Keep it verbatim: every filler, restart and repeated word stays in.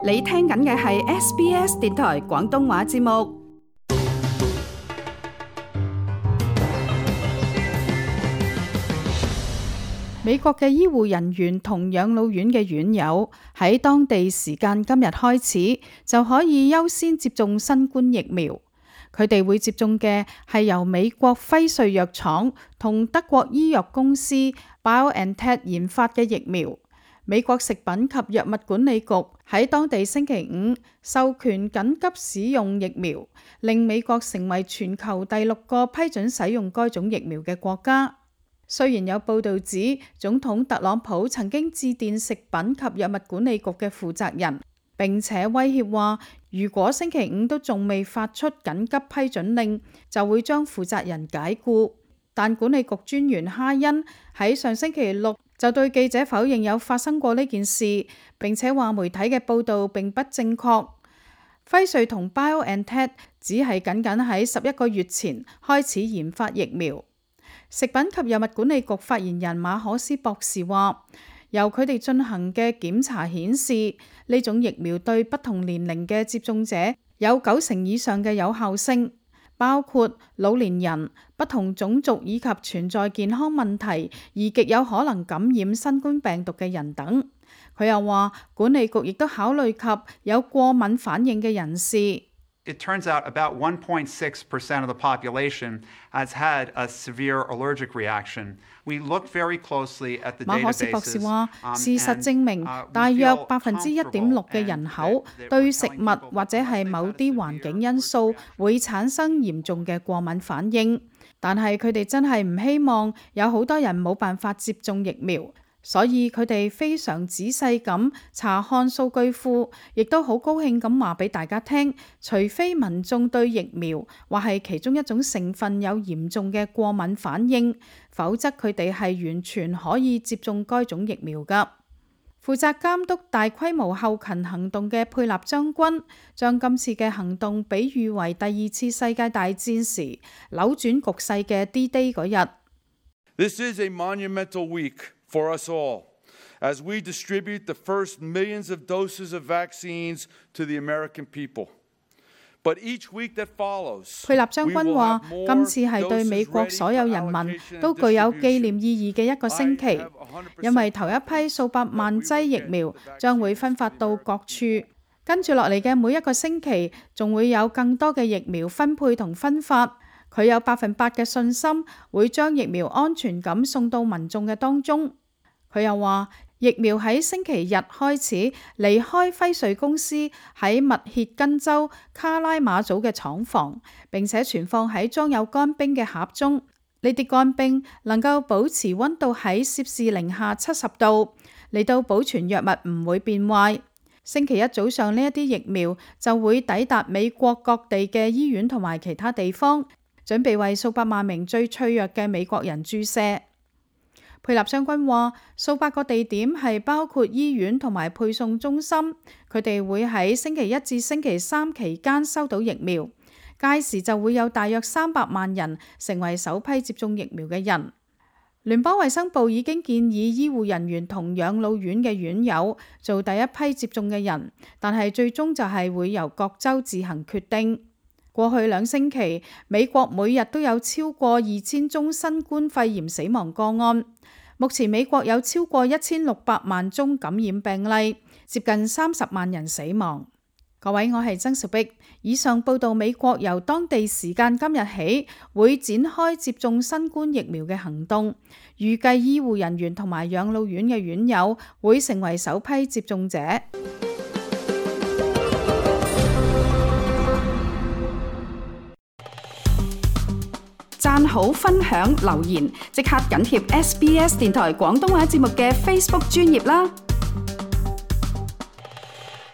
你聽緊嘅係 S B S 電台廣東話節目。美國嘅醫護人員同養老院嘅院友喺當地時間今日開始就可以優先接種新冠疫苗。佢哋會接種嘅係由美國輝瑞藥廠同德國醫藥公司 BioNTech 研發嘅疫苗。美國食品及藥物管理局喺當地星期五授權緊急使用疫苗，令美國成為全球第六個批准使用該種疫苗嘅國家。雖然有報導指總統特朗普曾經致電食品及藥物管理局嘅負責人，並且威脅話，如果星期五都仲未發出緊急批准令，就會將負責人解僱。但管理局專員哈恩喺上星期六就對記者否認有發生過呢件事，並且話媒體嘅報導並不正確。輝瑞同 BioNTech 只係僅僅喺十一個月前開始研發疫苗。食品及藥物管理局發言人馬可斯博士話，由佢哋進行嘅檢查顯示，呢種疫苗對不同年齡嘅接種者有九成以上嘅有效性，包括老年人、不同種族以及存在健康問題而極有可能感染新冠病毒嘅人等。佢又話，管理局亦都考慮及有過敏反應嘅人士。It turns out about one point six percent of the population has had a severe allergic reaction. We look very closely at the databases. 馬可斯博士話，事實證明，大約百分之一點六嘅人口對食物或者係某啲環境因素會產生嚴重嘅過敏反應，但係佢哋真係唔希望有好多人冇辦法接種疫苗。所以佢哋非常仔細咁查看數據庫，亦都好高興咁話俾大家聽，除非民眾對疫苗或係其中一種成分有嚴重嘅過敏反應，否則佢哋係完全可以接種該種疫苗㗎。負責監督大規模後勤行動嘅佩納將軍將今次嘅行動比喻為第二次世界大戰時扭轉局勢嘅 D-Day 嗰日。This is a monumental week for us all, as we distribute the first millions of doses of vaccines to the American people. But each week that follows, 佩納將軍話，今次係對美國所有人民都具有紀念意義嘅一個星期，因為頭一批數百萬劑疫苗將會分發到各處，跟住落嚟嘅每一個星期，仲會有更多嘅疫苗分配同分發。佢有百分百嘅信心會將疫苗安全咁送到民眾嘅當中。佢又話，疫苗喺星期日開始離開輝瑞公司喺密歇根州卡拉馬祖嘅廠房，並且存放喺裝有乾冰嘅盒中。呢啲乾冰能夠保持溫度喺攝氏零下七十度，嚟到保存藥物唔會變壞。星期一早上呢一啲疫苗就會抵達美國各地嘅醫院同埋其他地方，準備為數百萬名最脆弱嘅美國人注射。佩納將軍話，數百個地點係包括醫院同埋配送中心，佢哋會喺星期一至星期三期間收到疫苗，屆時就會有大約三百萬人成為首批接種疫苗嘅人。聯邦衛生部已經建議醫護人員同養老院嘅院友做第一批接種嘅人，但係最終就係會由各州自行決定。過去兩星期，美國每日都有超過二千宗新冠肺炎死亡個案。目前美國有超過一千六百萬宗感染病例，接近三十萬人死亡。各位，我係曾兆碧。以上報道美國由當地時間今日起會展開接種新冠疫苗嘅行動，預計醫護人員同埋養老院嘅院友會成為首批接種者。讚好、分享、留言，即刻緊貼 S B S 電台廣東話節目嘅 Facebook 專頁啦！